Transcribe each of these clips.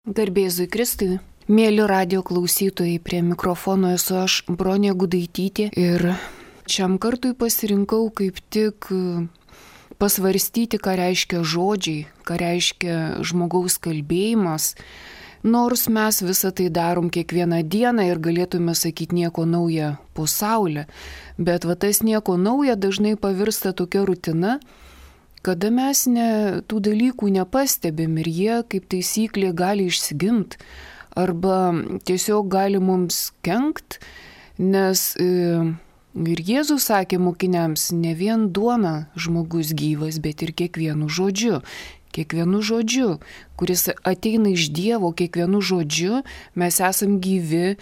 Garbėzui Kristui. Mėly radio klausytojai, prie mikrofono esu aš, Bronė Gudaitytė, ir šiam kartui pasirinkau kaip tik pasvarstyti, ką reiškia žodžiai, ką reiškia žmogaus kalbėjimas, nors mes visą tai darom kiekvieną dieną ir galėtume sakyti nieko nauja po saulę, bet tas nieko nauja dažnai pavirsta tokia rutina, kada mes tų dalykų nepastebim ir jie kaip taisyklė gali išsigimti arba tiesiog gali mums kenkt, nes ir Jėzus sakė mokiniams, ne vien duona žmogus gyvas, bet ir kiekvienu žodžiu. Kiekvienu žodžiu, kuris ateina iš Dievo, kiekvienu žodžiu mes esam gyvi,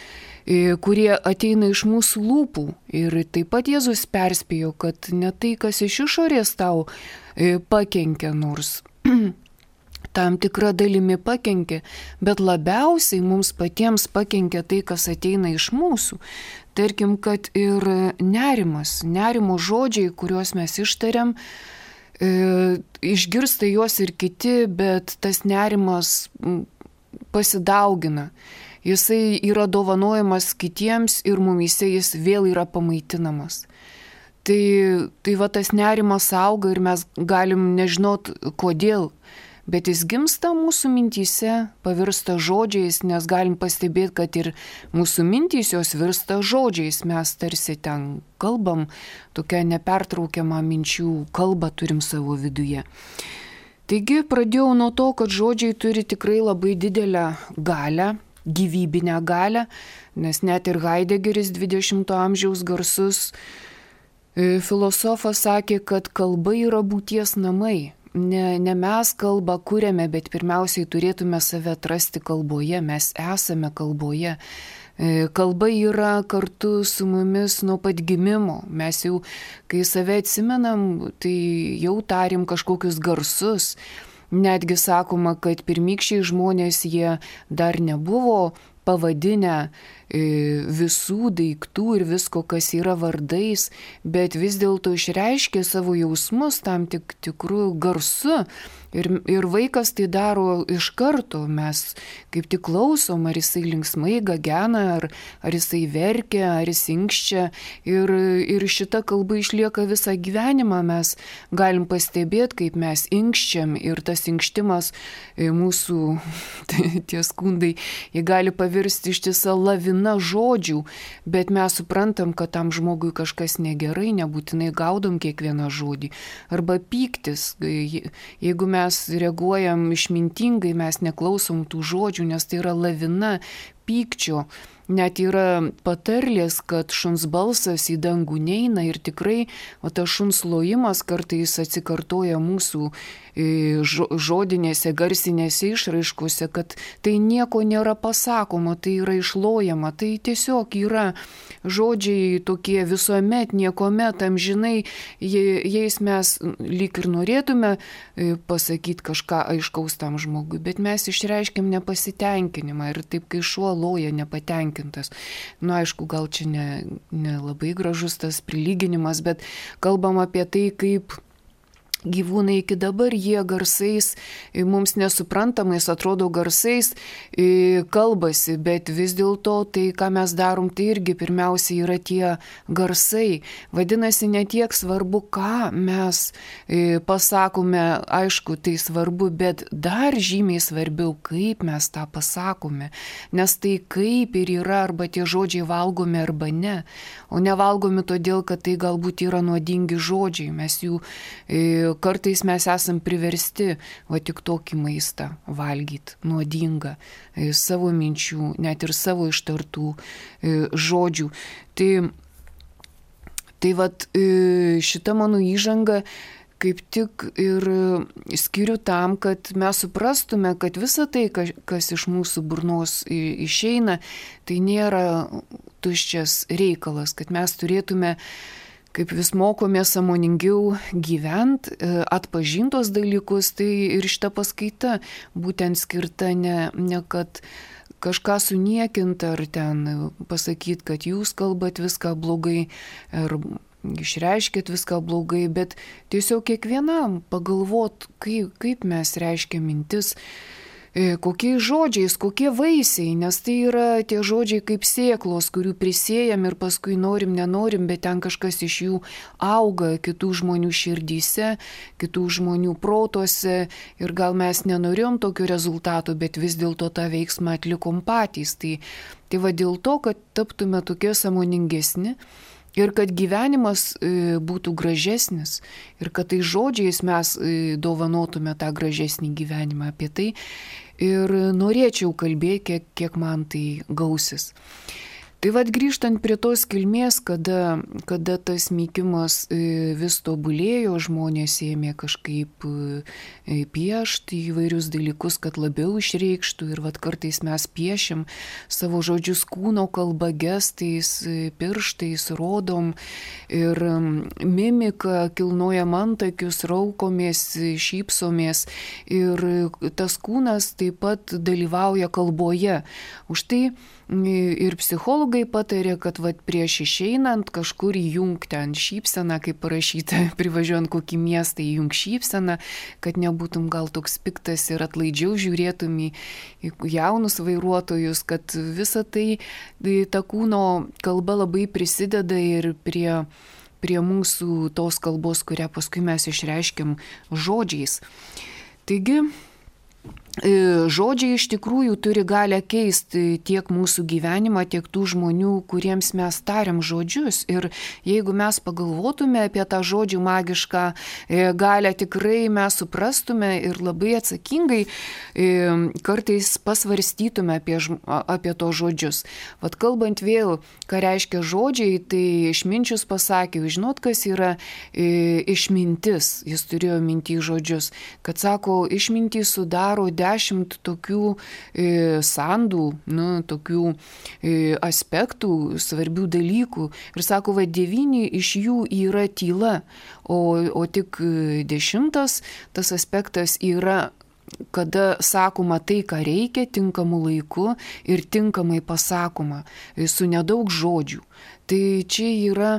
kurie ateina iš mūsų lūpų. Ir taip pat Jėzus perspėjo, kad ne tai, kas iš išorės tau pakenkia, nors tam tikra dalimi pakenkia, bet labiausiai mums patiems pakenkia tai, kas ateina iš mūsų. Tarkim, kad ir nerimo žodžiai, kuriuos mes ištariam, išgirsta juos ir kiti, bet tas nerimas pasidaugina. Jisai yra dovanojamas kitiems ir mumyse jis vėl yra pamaitinamas. Tai tas nerimas auga ir mes galim nežinot kodėl, bet jis gimsta mūsų mintyse, pavirsta žodžiais, nes galim pastebėti, kad ir mūsų mintys jos virsta žodžiais. Mes tarsi ten kalbam, tokia nepertraukiama minčių kalba turim savo viduje. Taigi pradėjau nuo to, kad žodžiai turi tikrai labai didelę galią, gyvybinę galią, nes net ir Heidegeris 20 amžiaus garsus filosofas sakė, kad kalba yra būties namai. Ne mes kalbą kuriame, bet pirmiausiai turėtume save atrasti kalboje, mes esame kalboje. Kalba yra kartu su mumis nuo pat gimimo. Mes jau, kai save atsimenam, tai jau tarim kažkokius garsus. Netgi sakoma, kad pirmykščiai žmonės jie dar nebuvo pavadinę visų daiktų ir visko, kas yra vardais, bet vis dėlto išreiškė savo jausmus tam tikrų garsu. Ir vaikas tai daro iš karto, mes kaip tik klausom, ar jisai linksmai gagena, ar jisai verkia, ar jis inkščia. Ir šita kalba išlieka visą gyvenimą, mes galim pastebėti, kaip mes inkščiam, ir tas inkštimas mūsų, tie skundai, jie gali pavirsti ištisą laviną žodžių, bet mes suprantam, kad tam žmogui kažkas negerai, nebūtinai gaudom kiekvieną žodį. Arba pyktis, jeigu mes reaguojam išmintingai, mes neklausom tų žodžių, nes tai yra lavina pykčio. Net yra patarlės, kad šuns balsas į dangų neina, ir tikrai tas šuns lojimas kartais atsikartoja mūsų žodinėse, garsinėse išraiškose, kad tai nieko nėra pasakoma, tai yra išlojama, tai tiesiog yra žodžiai tokie visuomet, niekomet, amžinai, jais mes lyg ir norėtume pasakyti kažką aiškaus tam žmogui, bet mes išreiškiam nepasitenkinimą ir taip, kai šuo loja nepatenkintas. Aišku, gal čia ne labai gražus tas prilyginimas, bet kalbam apie tai, kaip gyvūnai iki dabar jie garsais, mums nesuprantamais atrodo garsais, kalbasi, bet vis dėlto tai, ką mes darom, tai irgi pirmiausia yra tie garsai. Vadinasi, ne tiek svarbu, ką mes pasakome, aišku, tai svarbu, bet dar žymiai svarbiau, kaip mes tą pasakome. Nes tai kaip ir yra, arba tie žodžiai valgomi arba ne. O nevalgomi todėl, kad tai galbūt yra nuodingi žodžiai. Mes jų kartais mes esam priversti tik tokį maistą valgyti, nuodingą, savo minčių, net ir savo ištartų žodžių. Tai šita mano įžanga kaip tik ir skiriu tam, kad mes suprastume, kad visa tai, kas iš mūsų burnos išeina, tai nėra tuščias reikalas, kad mes turėtume, kaip vis mokomės sąmoningiau gyventi, atpažintos dalykus, tai ir šita paskaita būtent skirta ne kad kažką suniekinti ar ten pasakyti, kad jūs kalbat viską blogai, ar išreiškėt viską blogai, bet tiesiog kiekvienam pagalvot, kaip mes reiškia mintis, kokiais žodžiais, kokie vaisiai, nes tai yra tie žodžiai kaip sėklos, kurių prisėjam ir paskui norim, nenorim, bet ten kažkas iš jų auga kitų žmonių širdyse, kitų žmonių protuose ir gal mes nenorėjom tokio rezultato, bet vis dėlto tą veiksmą atlikom patys. Tai va dėl to, kad taptume tokie sąmoningesni, ir kad gyvenimas būtų gražesnis, ir kad tai žodžiais mes dovanotume tą gražesnį gyvenimą, apie tai ir norėčiau kalbėti, kiek man tai gausis. Tai vad grįžtant prie tos kilmės, kada tas mykimas vis tobulėjo, žmonės ėmė kažkaip piešti įvairius dalykus, kad labiau išreikštų ir vad kartais mes piešim savo žodžius kūno kalba, gestais, pirštais, rodom ir mimika, kilnojam antakius, raukomės, šypsomės ir tas kūnas taip pat dalyvauja kalboje. Už tai ir psichologai patarė, kad vat prieš išeinant kažkur įjungti ant šypseną, kaip parašyta, privažiuojant kokį miestą įjung šypseną, kad nebūtum gal toks piktas ir atlaidžiau žiūrėtum į jaunus vairuotojus, kad visa tai ta kūno kalba labai prisideda ir prie mūsų tos kalbos, kurią paskui mes išreiškiam žodžiais. Taigi, žodžiai iš tikrųjų turi galę keisti tiek mūsų gyvenimą, tiek tų žmonių, kuriems mes tariam žodžius. Ir jeigu mes pagalvotume apie tą žodžių magišką galę, tikrai mes suprastume ir labai atsakingai kartais pasvarstytume apie to žodžius. Vat kalbant vėl, ką reiškia žodžiai, tai Išminčius pasakė, žinot, kas yra išmintis, jis turėjo minty žodžius, kad sako, išmintį sudaro 10 tokių sandų, tokių aspektų, svarbių dalykų. Ir sako, 9 iš jų yra tyla, o tik 10 tas aspektas yra, kada sakoma tai, ką reikia, tinkamu laiku ir tinkamai pasakoma, su nedaug žodžių. Tai čia yra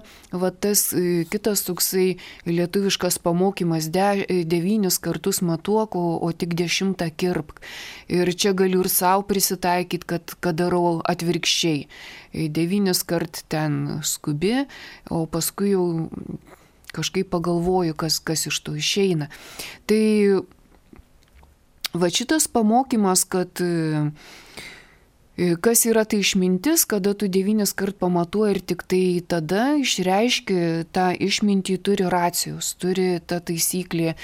tas kitas toksai lietuviškas pamokymas 9 kartus matuok, o tik 10 kirpk. Ir čia galiu ir savo prisitaikyti, kad darau atvirkščiai. 9 kart ten skubi, o paskui jau kažkaip pagalvoju, kas iš to išeina. Tai va šitas pamokymas, kad kas yra tai išmintis, kada tu 9 kart pamatuoji ir tik tai tada išreiški tą išmintį, turi racijos, turi ta taisyklė,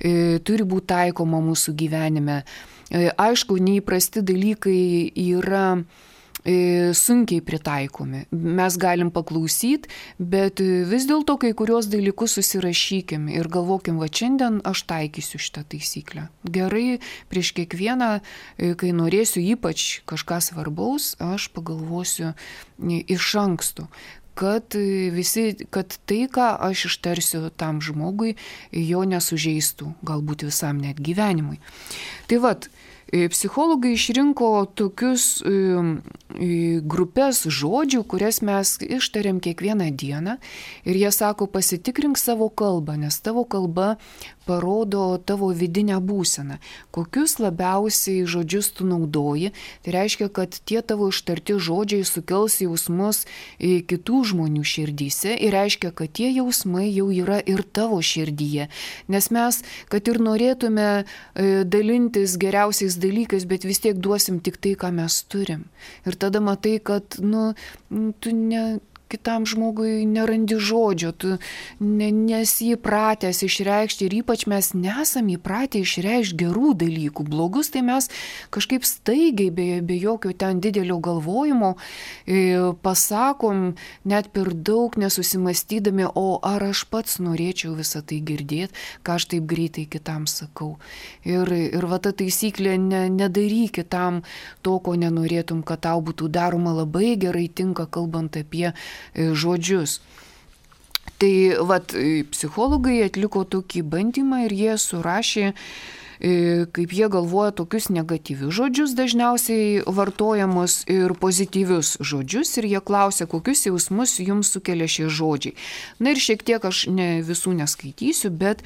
turi būti taikoma mūsų gyvenime. Aišku, neįprasti dalykai yra sunkiai pritaikomi. Mes galim paklausyti, bet vis dėlto kai kurios dalykus susirašykim ir galvokim, va šiandien aš taikysiu šitą taisyklę. Gerai, prieš kiekvieną, kai norėsiu ypač kažką svarbaus, aš pagalvosiu iš anksto. Kad tai, ką aš ištarsiu tam žmogui, jo nesužeistų, galbūt visam net gyvenimui. Tai vat, psichologai išrinko tokius grupės žodžių, kurias mes ištariam kiekvieną dieną ir jie sako, pasitikrink savo kalbą, nes tavo kalba parodo tavo vidinę būseną. Kokius labiausiai žodžius tu naudoji, tai reiškia, kad tie tavo ištarti žodžiai sukels jausmus kitų žmonių širdyse ir reiškia, kad tie jausmai jau yra ir tavo širdyje. Nes mes, kad ir norėtume dalintis geriausiais dalykais, bet vis tiek duosim tik tai, ką mes turim. Ir tada matai, kad tu kitam žmogui nerandi žodžio, tu nesi įpratęs išreikšti ir ypač mes nesam įpratę išreikšti gerų dalykų. Blogus tai mes kažkaip staigiai, be jokio ten didelio galvojimo pasakom net per daug nesusimastydami, o ar aš pats norėčiau visą tai girdėti, ką aš taip greitai kitam sakau. Ir va ta taisyklė, nedaryk kitam to, ko nenorėtum, kad tau būtų daroma, labai gerai tinka, kalbant apie žodžius. Tai vat, psichologai atliko tokį bandymą ir jie surašė, kaip jie galvoja, tokius negatyvius žodžius dažniausiai vartojamus ir pozityvius žodžius ir jie klausia, kokius jausmus jums sukelia šie žodžiai. Na ir šiek tiek aš visų neskaitysiu, bet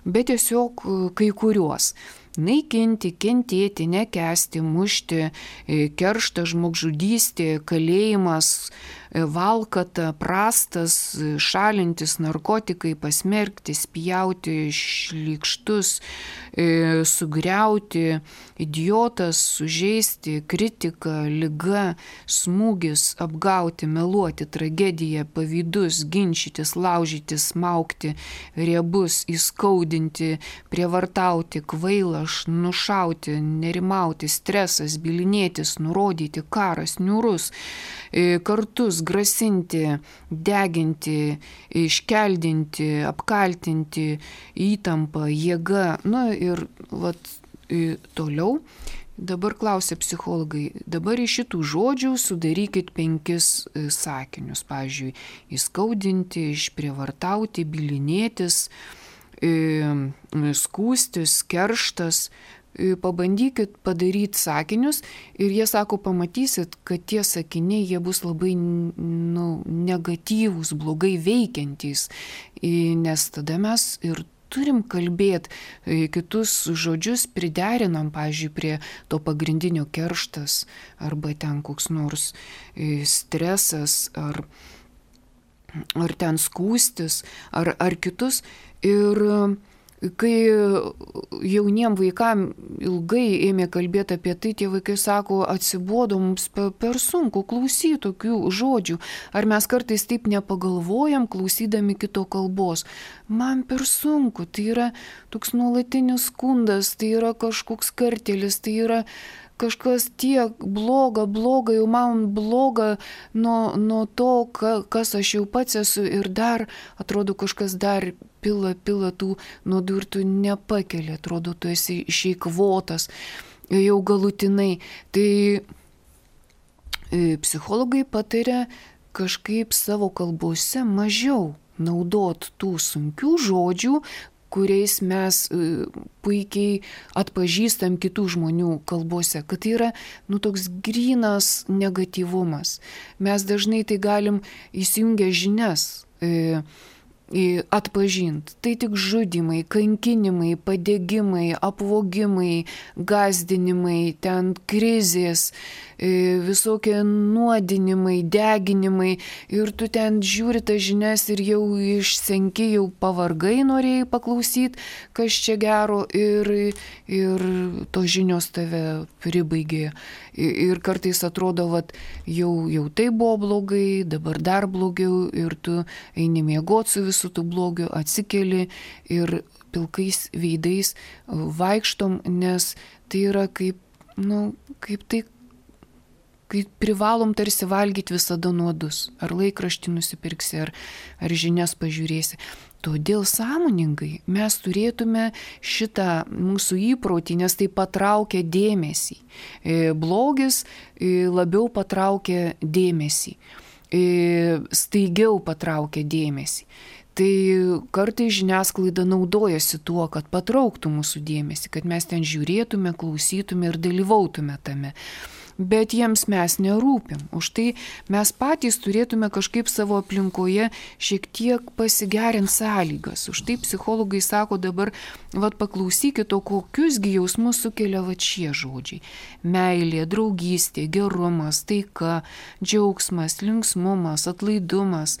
tiesiog kai kuriuos. naikinti, kentėti, nekęsti, mušti, kerštas, žmogžudystė, kalėjimas, valkata, prastas, šalintis, narkotikai, pasmerkti, spjauti, šlykštus, sugriauti, idiotas, sužeisti, kritika, liga, smūgis, apgauti, meluoti, tragedija, pavydus, ginčytis, laužyti, smaugti, riebus, įskaudinti, prievartauti, kvailas, nušauti, nerimauti, stresas, bylinėtis, nurodyti, karas, niūrus, kartus, grasinti, deginti, iškeldinti, apkaltinti, įtampa, jėga. Na ir toliau. Dabar klausia psichologai, dabar iš šitų žodžių sudarykit 5 sakinius. Pavyzdžiui, įskaudinti, išprievartauti, bylinėtis, skųstis, kerštas. Pabandykit padaryti sakinius ir jie sako, pamatysit, kad tie sakiniai jie bus labai negatyvūs, blogai veikiantys, nes tada mes ir turim kalbėti kitus žodžius, priderinam, pavyzdžiui, prie to pagrindinio kerštas arba ten koks nors stresas ar ten skūstis ar kitus. Ir kai jauniem vaikam ilgai ėmė kalbėti apie tai, tie vaikai sako, atsibodo mums per sunku klausyti tokių žodžių. Ar mes kartais taip nepagalvojam, klausydami kito kalbos? Man per sunku, tai yra toks nuolatinis skundas, tai yra kažkoks kartėlis, tai yra kažkas tiek bloga, jau man bloga nuo to, kas aš jau pats esu ir dar, atrodo, kažkas dar pila tų nuodų ir tu nepakeli, atrodo, tu esi išeikvotas jau galutinai. Tai psichologai pataria kažkaip savo kalbose mažiau naudot tų sunkių žodžių, kuriais mes puikiai atpažįstam kitų žmonių kalbose, kad tai yra toks grynas negatyvumas. Mes dažnai tai galim įsijungę žinias atpažinti. Tai tik žudimai, kankinimai, padegimai, apvogimai, gąsdinimai, ten krizės, visokie nuodinimai, deginimai ir tu ten žiūri tas žinias ir jau išsenki, jau pavargai norėjai paklausyti, kas čia gero ir tos žinios tave pribaigė. Ir kartais atrodo, jau tai buvo blogai, dabar dar blogiau ir tu eini miegoti su visų tų blogiu, atsikeli ir pilkais veidais vaikštom, nes tai yra kaip kai privalom tarsi valgyti visada nuodus. Ar laikraštį nusipirksi, ar žinias pažiūrėsi. Todėl sąmoningai mes turėtume šitą mūsų įprotį, nes tai patraukia dėmesį. Blogis labiau patraukia dėmesį. Staigiau patraukia dėmesį. Tai kartais žiniasklaida naudojasi tuo, kad patrauktų mūsų dėmesį, kad mes ten žiūrėtume, klausytume ir dalyvautume tame. Bet jiems mes nerūpim. Už tai mes patys turėtume kažkaip savo aplinkoje šiek tiek pasigerinti sąlygas. Už tai psichologai sako dabar, paklausykit, o kokiusgi jausmus sukelia šie žodžiai. Meilė, draugystė, gerumas, taika, džiaugsmas, linksmumas, atlaidumas,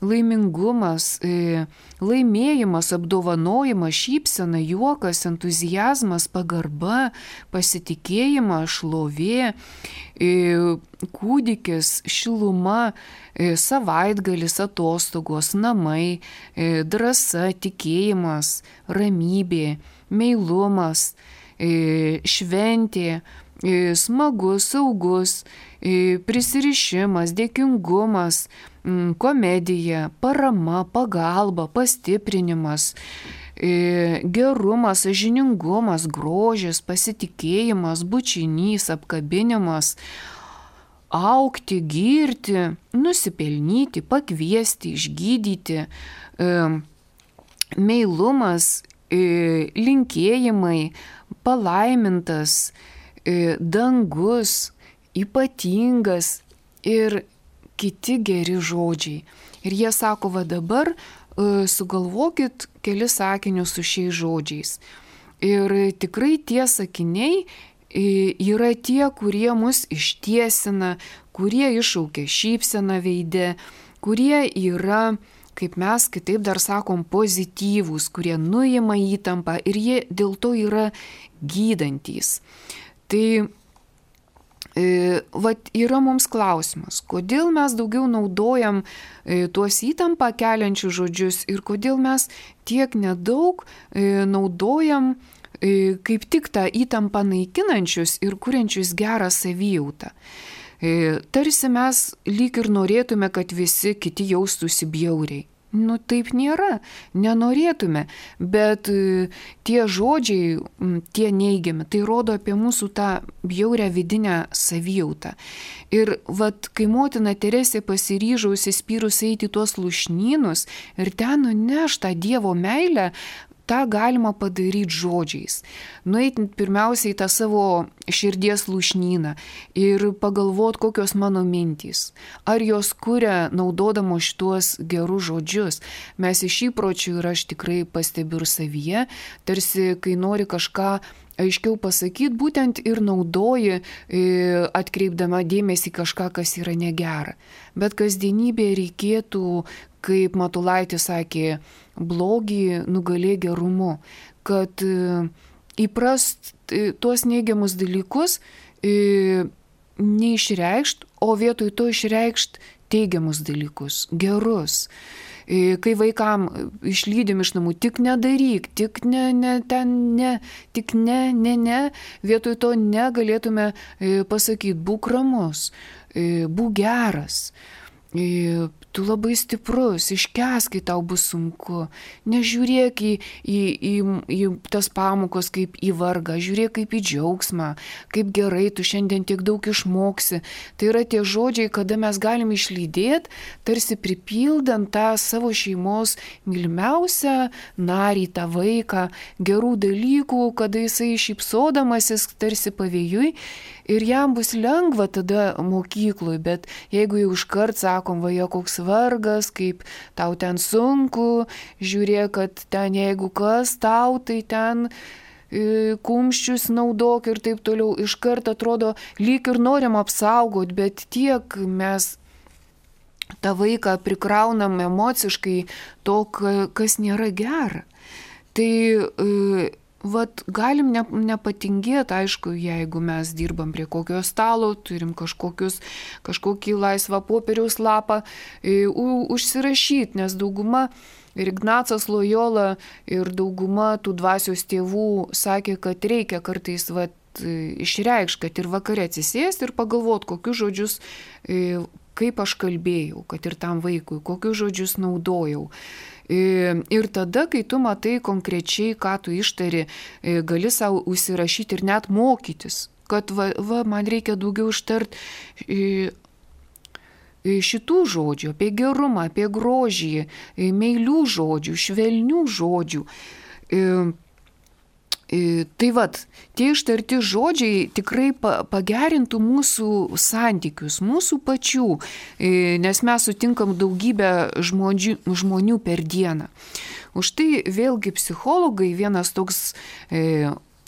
laimingumas, laimėjimas, apdovanojimas, šypsena, juokas, entuziazmas, pagarba, pasitikėjimas, šlovė, kūdikis, šiluma, savaitgalis, atostogos, namai, drąsa, tikėjimas, ramybė, meilumas, šventė, smagus, saugus, prisirišimas, dėkingumas, komedija, parama, pagalba, pastiprinimas, gerumas, sąžiningumas, grožis, pasitikėjimas, bučinys, apkabinimas, augti, girti, nusipelnyti, pakviesti, išgydyti, meilumas, linkėjimai, palaimintas, dangus, ypatingas ir kiti geri žodžiai. Ir jie sako, dabar sugalvokit kelis sakinius su šiais žodžiais. Ir tikrai tie sakiniai yra tie, kurie mus ištiesina, kurie iššaukia šypseną veide, kurie yra, kaip mes kitaip dar sakom, pozityvūs, kurie nuima įtampą ir jie dėl to yra gydantys. Tai vat yra mums klausimas, kodėl mes daugiau naudojam tuos įtampą keliančius žodžius ir kodėl mes tiek nedaug naudojam kaip tik tą įtampą naikinančius ir kuriančius gerą savijautą. Tarsi mes lyg ir norėtume, kad visi kiti jaustųsi bjauriai. Nu taip nėra, nenorėtume, bet tie žodžiai, tie neigiami, tai rodo apie mūsų tą bjaurią vidinę savijautą. Ir vat, kai motina Teresė pasiryžo įsispyrus eiti tuos lūšnynus ir ten nuneš tą Dievo meilę, tą galima padaryti žodžiais. Nueiti pirmiausiai į tą savo širdies lūšnyną ir pagalvoti, kokios mano mintys. Ar jos kuria naudodamos šituos gerus žodžius. Mes iš įpročių ir aš tikrai pastebiu ir savyje, tarsi kai nori kažką aiškiau pasakyti, būtent ir naudoji, atkreipdama dėmesį kažką, kas yra negera. Bet kasdienybėje reikėtų, kaip Matulaitis sakė, blogį nugalė gerumu, kad įprast tuos neigiamus dalykus neišreikšt, o vietoj to išreikšt teigiamus dalykus, gerus. Kai vaikam išlydim iš namų, tik nedaryk, tik ne, vietoj to negalėtume pasakyti, būk ramus, būk geras. Tu labai stiprus, iškęsk, kai tau bus sunku. Nežiūrėk į tas pamokos kaip į vargą, žiūrėk kaip į džiaugsmą, kaip gerai tu šiandien tiek daug išmoksi. Tai yra tie žodžiai, kada mes galim išlydėti, tarsi pripildant tą savo šeimos mylimiausią narį, tą vaiką, gerų dalykų, kada jisai šypsodamasis tarsi pavėjui. Ir jam bus lengva tada mokyklui, bet jeigu jau iškart sakom, va, jo koks vargas, kaip tau ten sunku, žiūrėk, kad ten jeigu kas tau, tai ten kumščius naudok ir taip toliau, iškart atrodo, lyg ir norim apsaugoti, bet tiek mes tą vaiką prikraunam emociškai to, kas nėra gera. Tai vat, galim nepatingėti, aišku, jeigu mes dirbam prie kokio stalo, turim kažkokį laisvą popieriaus lapą, užsirašyti, nes dauguma ir Ignacas Lojola ir dauguma tų dvasios tėvų sakė, kad reikia kartais išreikšti, kad ir vakare atsisėsti ir pagalvoti, kokius žodžius, kaip aš kalbėjau, kad ir tam vaikui, kokius žodžius naudojau. Ir tada, kai tu matai konkrečiai, ką tu ištari, gali savo užsirašyti ir net mokytis, kad man reikia daugiau ištart šitų žodžių, apie gerumą, apie grožį, meilių žodžių, švelnių žodžių. Tai tie ištarti žodžiai tikrai pagerintų mūsų santykius, mūsų pačių, nes mes sutinkam daugybę žmonių per dieną. Už tai vėlgi psichologai, vienas toks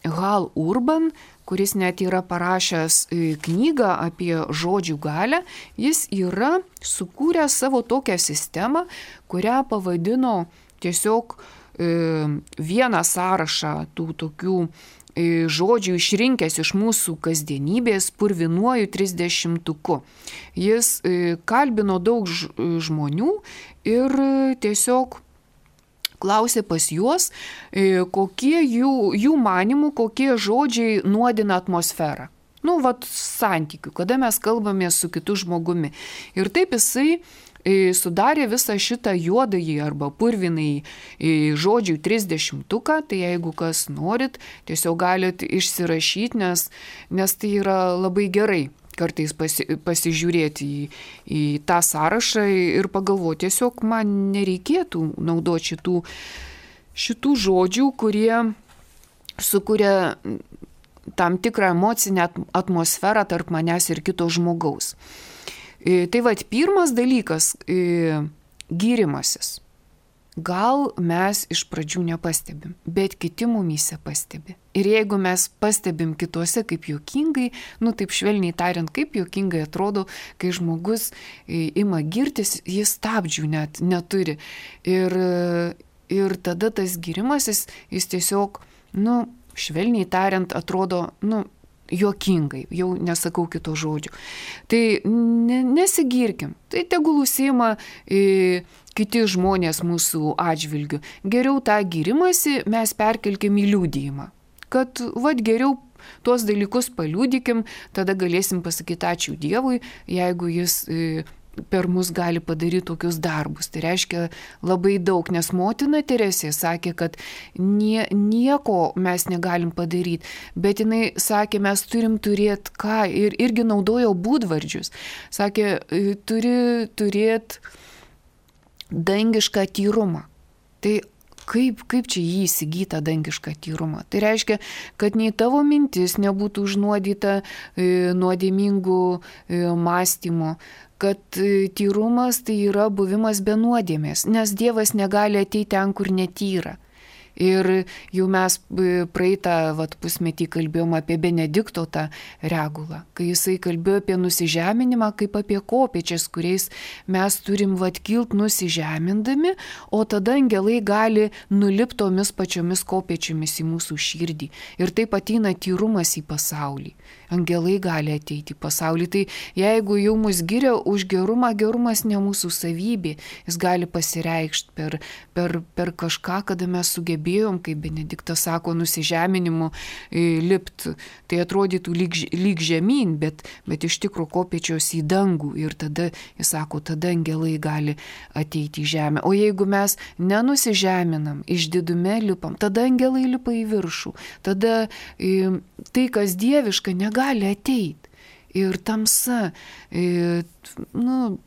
Hal Urban, kuris net yra parašęs knygą apie žodžių galią, jis yra sukūręs savo tokią sistemą, kurią pavadino tiesiog vieną sąrašą tų tokių žodžių išrinkęs iš mūsų kasdienybės purvinuoju 30-tuku. Jis kalbino daug žmonių ir tiesiog klausė pas juos, kokie jų manimų, kokie žodžiai nuodina atmosferą. Santykių, kada mes kalbame su kitu žmogumi. Ir taip jisai sudarė visą šitą juodąjį arba purvinąjį žodžių 30-tuką, tai jeigu kas norit, tiesiog galit išsirašyti, nes tai yra labai gerai kartais pasižiūrėti į tą sąrašą ir pagalvoti, tiesiog man nereikėtų naudoti šitų žodžių, kurie sukuria tam tikrą emocinę atmosferą tarp manęs ir kito žmogaus. Tai pirmas dalykas – gyrimasis. gal mes iš pradžių nepastebim, bet kiti mumyse pastebi. Ir jeigu mes pastebim kituose kaip juokingai, taip švelniai tariant, kaip juokingai atrodo, kai žmogus ima girtis, jis stabdžių net neturi. Ir tada tas girimasis, jis tiesiog, švelniai tariant, atrodo, juokingai, jau nesakau kito žodžio. Tai nesigirkim, tai tegul užsiima kiti žmonės mūsų atžvilgiu. Geriau tą girimąsi mes perkelkim į liudijimą, kad geriau tuos dalykus paliudykim, tada galėsim pasakyti ačiū Dievui, jeigu jis per mus gali padaryti tokius darbus. Tai reiškia labai daug, nes motina Teresė sakė, kad nieko mes negalim padaryti, bet jinai sakė, mes turim turėti ką, ir irgi naudojo būdvardžius. Sakė, turi turėti dangišką tyrumą. Tai kaip čia jį įsigyta dangišką tyrumą? Tai reiškia, kad nei tavo mintis nebūtų užnuodyta nuodėmingų mąstymų, kad tyrumas tai yra buvimas be nuodėmės, nes Dievas negali ateiti ten, kur netyra. Ir jau mes praeitą pusmetį kalbėjom apie Benedikto tą regulą, kai jisai kalbėjo apie nusižeminimą kaip apie kopėčias, kuriais mes turim kilt nusižemindami, o tada angelai gali nulipti tomis pačiomis kopėčiomis į mūsų širdį. Ir taip ateina tyrumas į pasaulį. Angelai gali ateiti į pasaulį. Tai jeigu jau mus giria už gerumą, gerumas ne mūsų savybė, jis gali pasireikšti per kažką, kada mes sugebėjom, kaip Benediktas sako, nusižeminimu lipt. Tai atrodytų lyg žemyn, bet iš tikrųjų kopėčios į dangų. Ir tada, jis sako, tada angelai gali ateiti į žemę. O jeigu mes nenusižeminam, išdidume lipam, tada angelai lipa į viršų. Tada tai, kas dieviška, negali ateiti. Ir tamsa,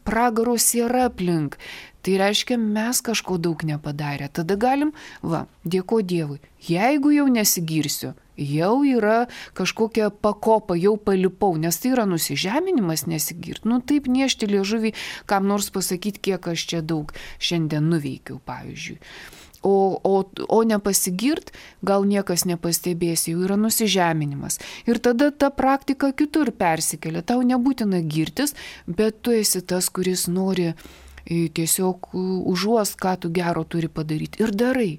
pragaro siera aplink. Tai reiškia, mes kažko daug nepadarę. Tada galim, dėko Dievui. Jeigu jau nesigirsiu, jau yra kažkokia pakopa, jau palipau, nes tai yra nusižeminimas nesigirt. Taip niešti liežuvį, kam nors pasakyti, kiek aš čia daug šiandien nuveikiau, pavyzdžiui. O nepasigirt, gal niekas nepastebės, jau yra nusižeminimas. Ir tada ta praktika kitur persikelia. Tau nebūtina girtis, bet tu esi tas, kuris nori tiesiog užuost, ką tu gero turi padaryti. Ir darai,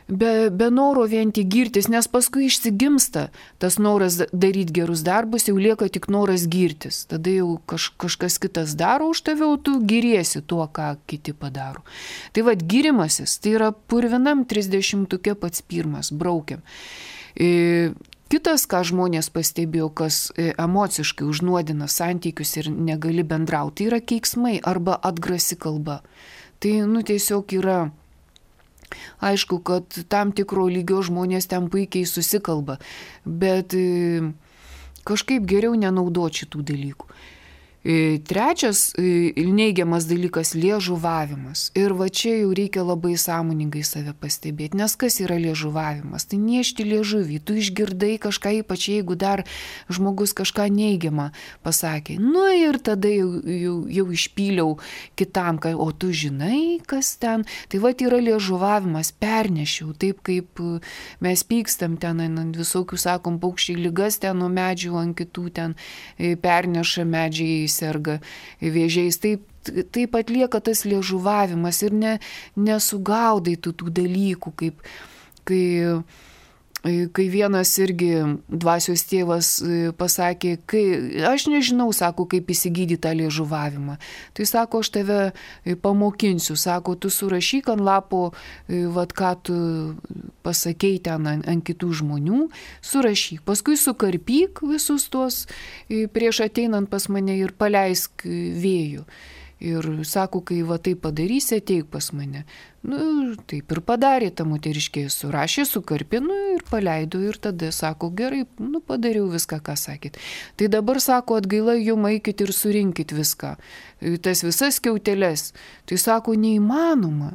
be noro vien tik girtis, nes paskui išsigimsta tas noras daryti gerus darbus, jau lieka tik noras girtis. Tada jau kažkas kitas daro už tave, o tu giriesi tuo, ką kiti padaro. Tai girimasis, tai yra purvinam 30-uke pats pirmas, braukiam. Kitas, ką žmonės pastebėjo, kas emociškai užnuodina santykius ir negali bendrauti, tai yra keiksmai arba atgrasi kalba. Tai tiesiog yra. Aišku, kad tam tikro lygio žmonės ten puikiai susikalba, bet kažkaip geriau nenaudoti šitų dalykų. Trečias neigiamas dalykas – liežuvavimas. Ir čia jau reikia labai sąmoningai save pastebėti, nes kas yra liežuvavimas? Tai niešti liežuvį, tu išgirdai kažką, ypač jeigu dar žmogus kažką neigiamą pasakė. Ir tada jau išpyliau kitam, o tu žinai, kas ten. Tai yra liežuvavimas, pernešiau, taip kaip mes pykstam ten, ant visokių, sakom, paukščiai ligas ten nuo medžių, ant kitų ten perneša medžiai, serga vėžiais. Taip atlieka tas liežuvavimas ir nesugaudai tų dalykų, kai vienas irgi dvasios tėvas pasakė, aš nežinau, sako, kaip įsigydyti tą liežuvavimą. Tai sako, aš tave pamokinsiu, sako, tu surašyk ant lapo, ką tu pasakei ten ant kitų žmonių, surašyk. Paskui sukarpyk visus tuos prieš ateinant pas mane ir paleisk vėjų. Ir sako, kai taip padarysi, ateik pas mane. Taip ir padarė ta moteriškė, surašė, sukarpė, ir paleido. Ir tada sako, gerai, padariau viską, ką sakėt. Tai dabar sako, atgaila jum, eikit ir surinkit viską. Tas visas skiauteles. Tai sako, neįmanoma.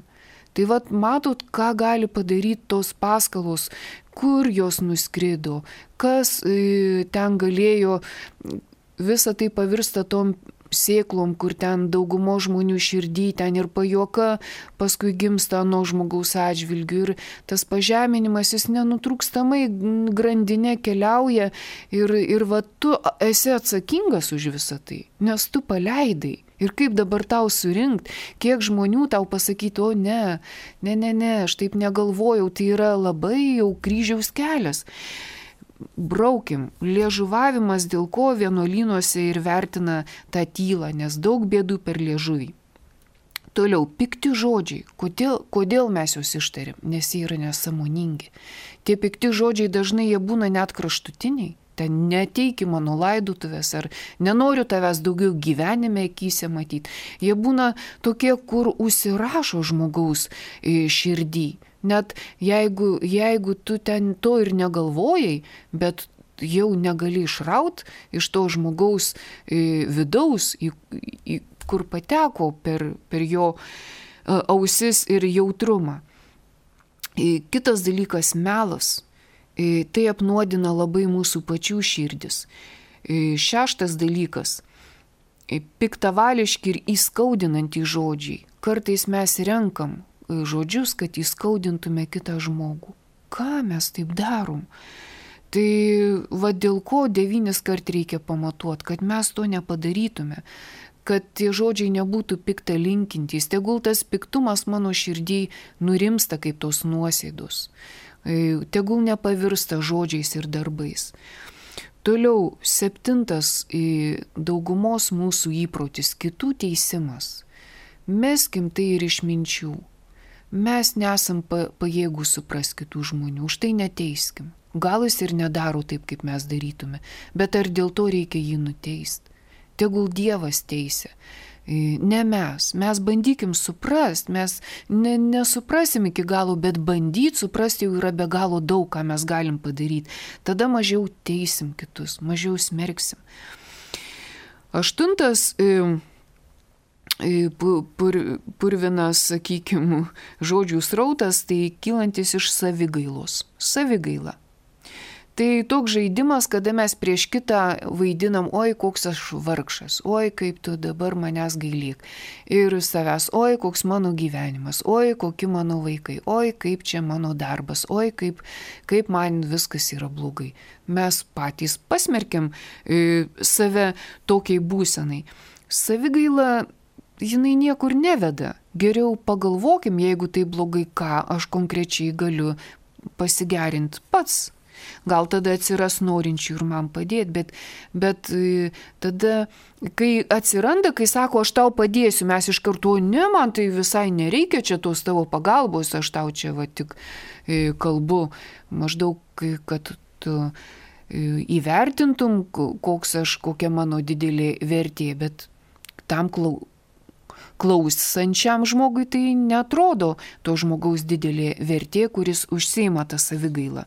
Tai matot, ką gali padaryti tos paskalos, kur jos nuskrido, kas ten galėjo visa tai pavirsta tom sėklom, kur ten daugumo žmonių širdį, ten ir pajuoka paskui gimsta nuo žmogaus atžvilgių ir tas pažeminimas jis nenutrūkstamai grandinė keliauja ir va tu esi atsakingas už visą tai, nes tu paleidai. Ir kaip dabar tau surinkt, kiek žmonių tau pasakyti, o ne, aš taip negalvojau, tai yra labai jau kryžiaus kelias. Braukim, liežuvavimas, dėl ko vienuolynuose ir vertina tą tylą, nes daug bėdų per liežuvį. Toliau, pikti žodžiai. Kodėl mes juos ištarim? Nes jie yra nesąmoningi. Tie pikti žodžiai dažnai jie būna net kraštutiniai. Ten neteiki mano laidotuvės ar nenoriu tavęs daugiau gyvenime akyse matyti. Jie būna tokie, kur užsirašo žmogaus širdį. Net jeigu tu ten to ir negalvojai, bet jau negali išraut iš to žmogaus vidaus, kur pateko per jo ausis ir jautrumą. Kitas dalykas - melas. Tai apnuodina labai mūsų pačių širdis. 6 dalykas - piktavališki ir įskaudinantys žodžiai. Kartais mes renkam žodžius, kad įskaudintume kitą žmogų. Ką mes taip darom? Tai va dėl ko 9 kart reikia pamatuoti, kad mes to nepadarytume, kad tie žodžiai nebūtų piktalinkintys, tegul tas piktumas mano širdį nurimsta kaip tos nuosėdos, tegul nepavirsta žodžiais ir darbais. Toliau 7 daugumos mūsų įprotis - kitų teisimas. Meskim tai ir iš minčių. Mes nesam pajėgų suprasti kitų žmonių, už tai neteiskim. Gal jis ir nedaro taip, kaip mes darytume, bet ar dėl to reikia jį nuteisti? Tegul Dievas teisia, ne mes. Mes bandykim suprasti, mes nesuprasim iki galo, bet bandyti suprasti jau yra be galo daug, ką mes galim padaryti. Tada mažiau teisim kitus, mažiau smerksim. 8 purvinas, sakykime, žodžių srautas, tai kylantis iš savigailos. Savigaila. Tai toks žaidimas, kada mes prieš kitą vaidinam, oi, koks aš vargšas, oi, kaip tu dabar manęs gailėk. Ir savęs, oi, koks mano gyvenimas, oi, kokie mano vaikai, oi, kaip čia mano darbas, oi, kaip man viskas yra blogai. Mes patys pasmerkiam save tokiai būsenai. Savigaila jinai niekur neveda. Geriau pagalvokim, jeigu tai blogai, ką aš konkrečiai galiu pasigerinti pats. Gal tada atsiras norinčių ir man padėti, bet tada, kai atsiranda, kai sako, aš tau padėsiu, mes iš karto, ne, man tai visai nereikia čia tos tavo pagalbos, aš tau čia va tik kalbu, maždaug, kad tu įvertintum, kokia mano didelė vertė, bet tam klausančiam žmogui tai netrodo to žmogaus didelė vertė, kuris užsiima tą savigailą.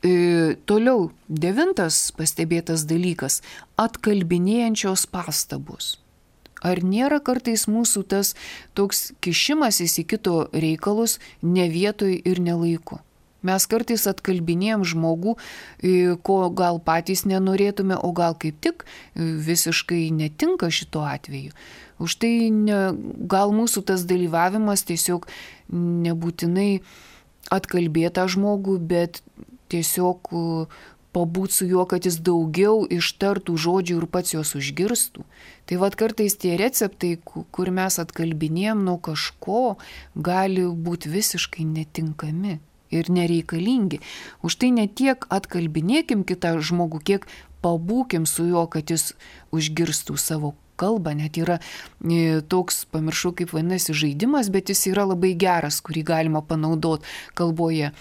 Toliau 9 pastebėtas dalykas - atkalbinėjančios pastabos. Ar nėra kartais mūsų tas toks kišimasis į kito reikalus ne vietoj ir ne laiku? Mes kartais atkalbinėjom žmogų, ko gal patys nenorėtume, o gal kaip tik visiškai netinka šito atveju. Už tai gal mūsų tas dalyvavimas tiesiog nebūtinai atkalbėtą žmogų, bet tiesiog pabūt su juo, kad jis daugiau ištartų žodžių ir pats juos užgirstų. Tai vad kartais tie receptai, kur mes atkalbinėjom nuo kažko, gali būti visiškai netinkami ir nereikalingi. Už tai ne tiek atkalbinėkim kitą žmogų, kiek pabūkim su juo, kad jis užgirstų savo kalbą. Net yra toks, pamiršau kaip vadinasi, žaidimas, bet jis yra labai geras, kurį galima panaudoti kalboje.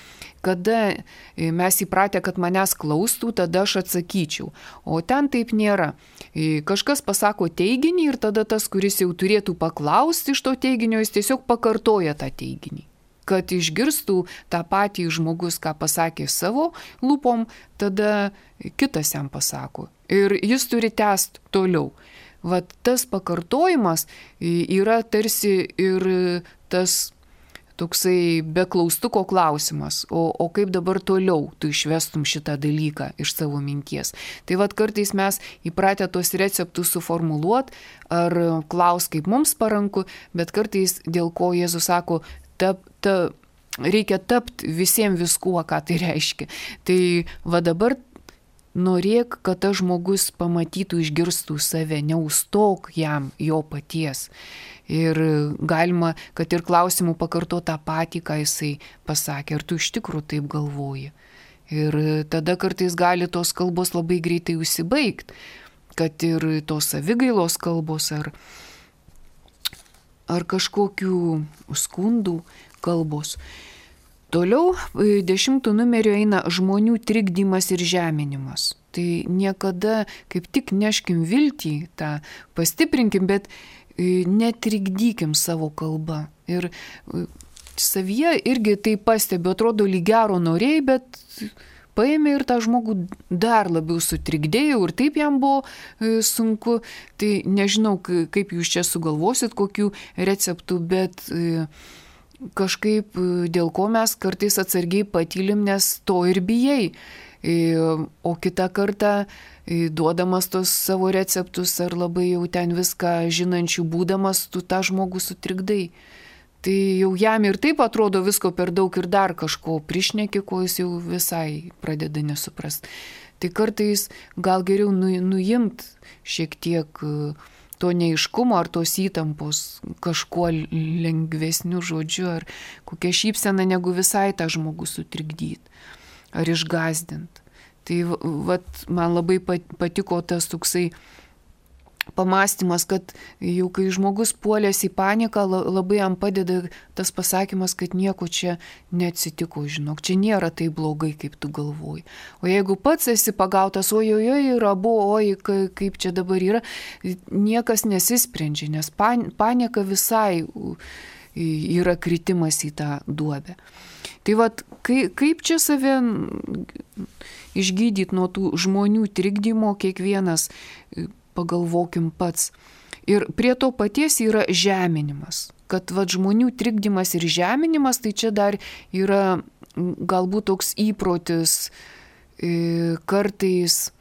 Kada mes įpratę, kad manęs klaustų, tada aš atsakyčiau. O ten taip nėra. Kažkas pasako teiginį ir tada tas, kuris jau turėtų paklausti iš to teiginio, jis tiesiog pakartoja tą teiginį. Kad išgirstų tą patį žmogus, ką pasakė savo lūpom, tada kitas jam pasako. Ir jis turi tęsti toliau. Vat tas pakartojimas yra tarsi ir tas toksai be klaustuko klausimas, o kaip dabar toliau tu išvestum šitą dalyką iš savo minties. Tai vat kartais mes įpratę tos receptus suformuluot ar klaus, kaip mums paranku, bet kartais dėl ko Jėzus sako, reikia tapti visiems viskuo, ką tai reiškia. Tai va dabar norėk, kad tas žmogus pamatytų, išgirstų save, neustok jam jo paties. Ir galima, kad ir klausimų pakarto tą patį, ką jisai pasakė, ar tu iš tikrųjų taip galvoji. Ir tada kartais gali tos kalbos labai greitai užsibaigti, kad ir tos savigailos kalbos ar kažkokių skundų kalbos. Toliau 10 numeriu eina žmonių trikdymas ir žeminimas. Tai niekada kaip tik neškim viltį, tą pastiprinkim, bet netrikdykim savo kalbą. Ir savyje irgi tai pastebiu, atrodo lyg gero norėjai, bet paėmė ir tą žmogų dar labiau sutrikdėjau ir taip jam buvo sunku. Tai nežinau, kaip jūs čia sugalvosit, kokių receptų, bet kažkaip dėl ko mes kartais atsargiai patylim, nes to ir bijai. O kitą kartą duodamas tos savo receptus ar labai jau ten viską žinančių būdamas, tu tą žmogų sutrikdai. Tai jau jam ir taip atrodo visko per daug ir dar kažko prišneki, ko jis jau visai pradeda nesuprast. Tai kartais gal geriau nuimt šiek tiek to neiškumo ar tos įtampos kažkuo lengvesniu žodžiu ar kokią šypseną, negu visai tą žmogų sutrikdyti ar išgąsdinti. Tai vat, man labai patiko tas toksai pamastymas, kad jau kai žmogus puolės į paniką, labai jam padeda tas pasakymas, kad nieko čia neatsitiko, žinok, čia nėra taip blogai, kaip tu galvoji. O jeigu pats esi pagautas, ojoj, yra buvo, oj, kaip čia dabar yra, niekas nesisprendžia, nes panika visai yra kritimas į tą duobę. Tai vat, kaip čia save išgydyti nuo tų žmonių trikdymo, kiekvienas pagalvokim pats. Ir prie to paties yra žeminimas. Kad vat, žmonių trikdymas ir žeminimas, tai čia dar yra galbūt toks įprotis kartais.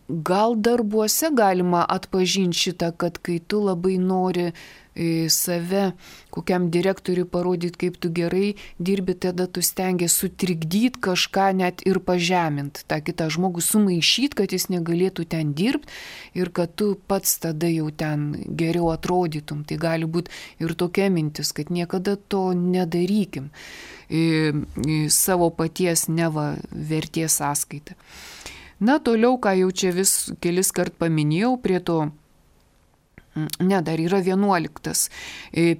Gal darbuose galima atpažinti šitą, kad kai tu labai nori save kokiam direktoriui parodyti, kaip tu gerai dirbi, tada tu stengiasi sutrikdyti kažką net ir pažeminti, tą kitą žmogų sumaišyti, kad jis negalėtų ten dirbti ir kad tu pats tada jau ten geriau atrodytum. Tai gali būti ir tokia mintis, kad niekada to nedarykim savo paties neva vertės sąskaitą. Na, toliau, ką jau čia vis kelis kart paminėjau, prie to, dar yra 11.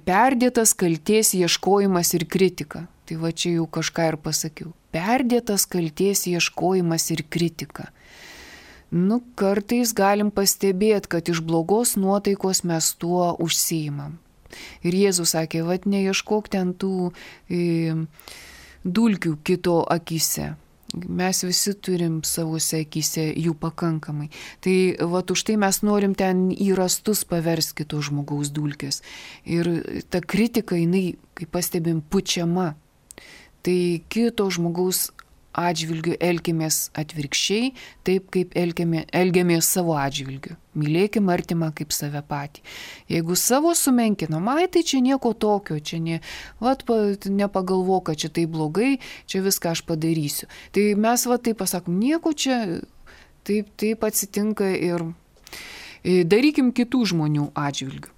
Perdėtas kaltės ieškojimas ir kritika. Tai va čia jau kažką ir pasakiau. Perdėtas kaltės ieškojimas ir kritika. Nu, kartais galim pastebėti, kad iš blogos nuotaikos mes tuo užsiimam. Ir Jėzus sakė, vat neieškok ten tų dulkių kito akise. Mes visi turim savose akise jų pakankamai. Tai vat už tai mes norim ten į rastus paversti kito žmogaus dulkės. Ir ta kritika, jinai, kaip pastebim, pučiama. Tai kito žmogaus atžvilgiu elkimės atvirkščiai, taip kaip elgiamės savo atžvilgiu. Mylėkim artimą kaip save patį. Jeigu savo sumenkinam, tai čia nieko tokio, čia nepagalvok, kad čia tai blogai, čia viską aš padarysiu. Tai mes taip pasakom, nieko čia taip atsitinka ir darykim kitų žmonių atžvilgiu.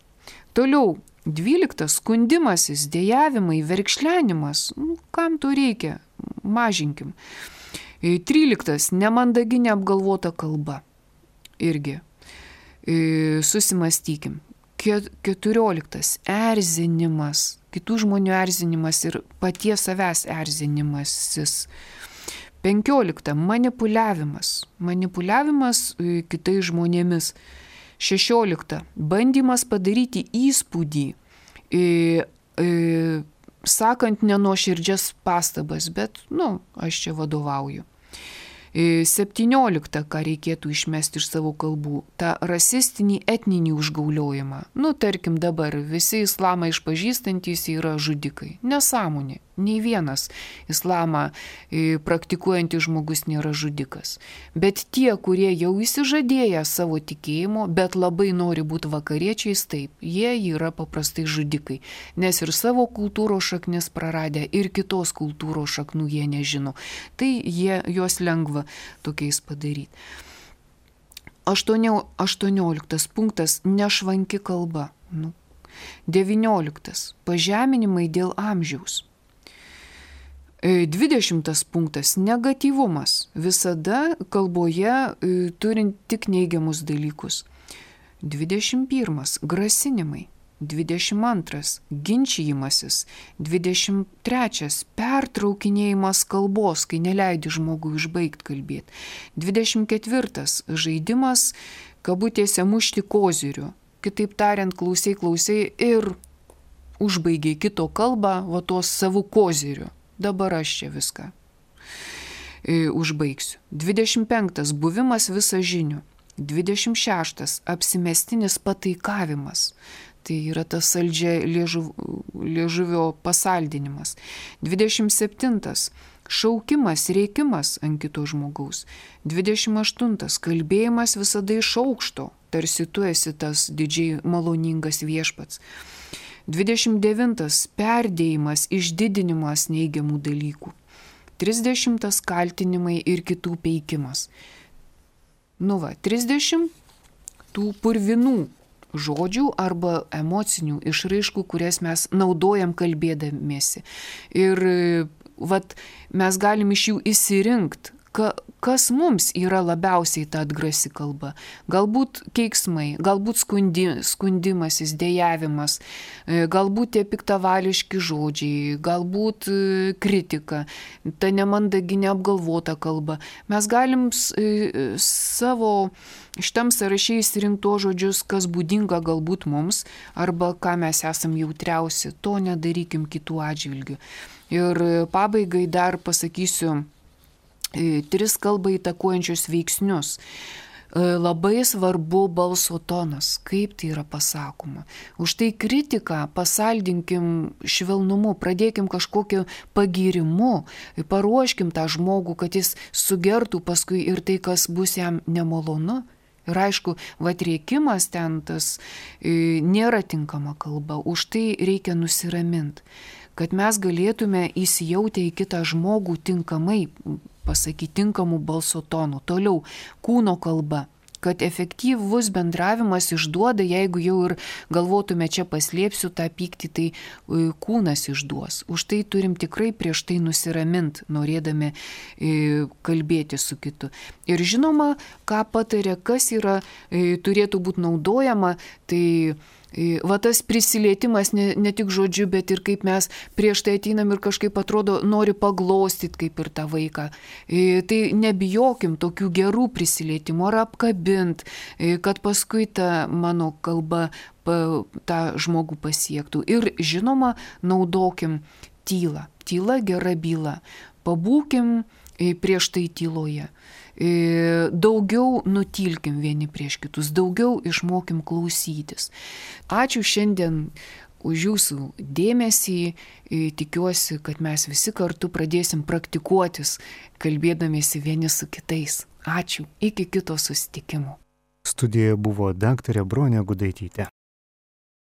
Toliau, 12. Skundimasis, dejavimai, verkšlenimas. Kam to reikia? Mažinkim. 13. Nemandagi neapgalvota kalba. Irgi. Susimastykim. 14. Erzinimas. Kitų žmonių erzinimas ir paties savęs erzinimasis. 15. Manipuliavimas. Manipuliavimas kitais žmonėmis. 16. Bandymas padaryti įspūdį, sakant nenuoširdžias pastabas, bet, aš čia vadovauju. 17, ką reikėtų išmesti iš savo kalbų, tą rasistinį etninį užgauliojimą. Tarkim dabar visi islamą išpažįstantys yra žudikai. Nesąmonė. Nei vienas islamą praktikuojantis žmogus nėra žudikas. Bet tie, kurie jau įsižadėję savo tikėjimo, bet labai nori būti vakariečiais, taip, jie yra paprastai žudikai. Nes ir savo kultūros šaknis praradę, ir kitos kultūros šaknų jie nežino. Tai juos lengva tokiais padaryti. 18 punktas – nešvanki kalba. 19 – pažeminimai dėl amžiaus. 20 punktas – negatyvumas. Visada kalboje turint tik neigiamus dalykus. 21 – grasinimai. 22 – ginčijimasis. 23 – pertraukinėjimas kalbos, kai neleidi žmogui užbaigti kalbėti. 24 – žaidimas, kabutėse, mušti koziriu. Kitaip tariant, klausai ir užbaigiai kito kalbą, tos savų koziriu. Dabar aš čia viską užbaigsiu. 25 – buvimas visažiniu. 26 – apsimestinis pataikavimas. Tai yra tas saldžia liežuvio pasaldinimas. 27 – šaukimas, rėkimas ant kito žmogaus. 28 – kalbėjimas visada iš aukšto, tarsi tu esi tas didžiai maloningas viešpats. 29 – perdėjimas, išdidinimas neigiamų dalykų. 30 – kaltinimai ir kitų peikimas. 30 – tų purvinų žodžių arba emocinių išraiškų, kurias mes naudojam kalbėdamiesi. Ir mes galim iš jų išsirinkti, kas mums yra labiausiai ta atgrasi kalba. Galbūt keiksmai, galbūt skundimasis, dejavimas, galbūt tie piktavališki žodžiai, galbūt kritika, ta nemandagi neapgalvota kalba. Mes galim savo šitam sąraše išsirinkti žodžius, kas būdinga galbūt mums, arba ką mes esam jautriausi. To nedarykim kitų atžvilgių. Ir pabaigai dar pasakysiu 3 kalbą įtakuojančius veiksnius. Labai svarbu balso tonas, kaip tai yra pasakoma. Už tai kritiką pasaldinkim švelnumu, pradėkim kažkokiu pagyrimu, paruoškim tą žmogų, kad jis sugertų paskui ir tai, kas bus jam nemalonu. Ir aišku, rėkimas ten tas nėra tinkama kalba, už tai reikia nusiraminti, kad mes galėtume įsijautę į kitą žmogų tinkamai pasakyti tinkamų balso tonų. Toliau, kūno kalba, kad efektyvus bendravimas išduoda, jeigu jau ir galvotume čia paslėpsiu tą pyktį, tai kūnas išduos. Už tai turim tikrai prieš tai nusiraminti, norėdami kalbėti su kitu. Ir žinoma, ką patarė, kas yra, turėtų būti naudojama, tai tas prisilietimas ne tik žodžiu, bet ir kaip mes prieš tai ateinam ir kažkaip atrodo nori paglostyti kaip ir tą vaiką. Tai nebijokim tokių gerų prisilietimų ar apkabint, kad paskui ta mano kalba tą žmogų pasiektų. Ir žinoma, naudokim tylą. Tyla gera byla. Pabūkim prieš tai tyloje. Daugiau nutilkim vieni prieš kitus, daugiau išmokim klausytis. Ačiū šiandien už jūsų dėmesį. Tikiuosi, kad mes visi kartu pradėsim praktikuotis, kalbėdamiesi vieni su kitais. Ačiū. Iki kito susitikimo. Studijoje buvo daktarė Bronė Gudaitytė.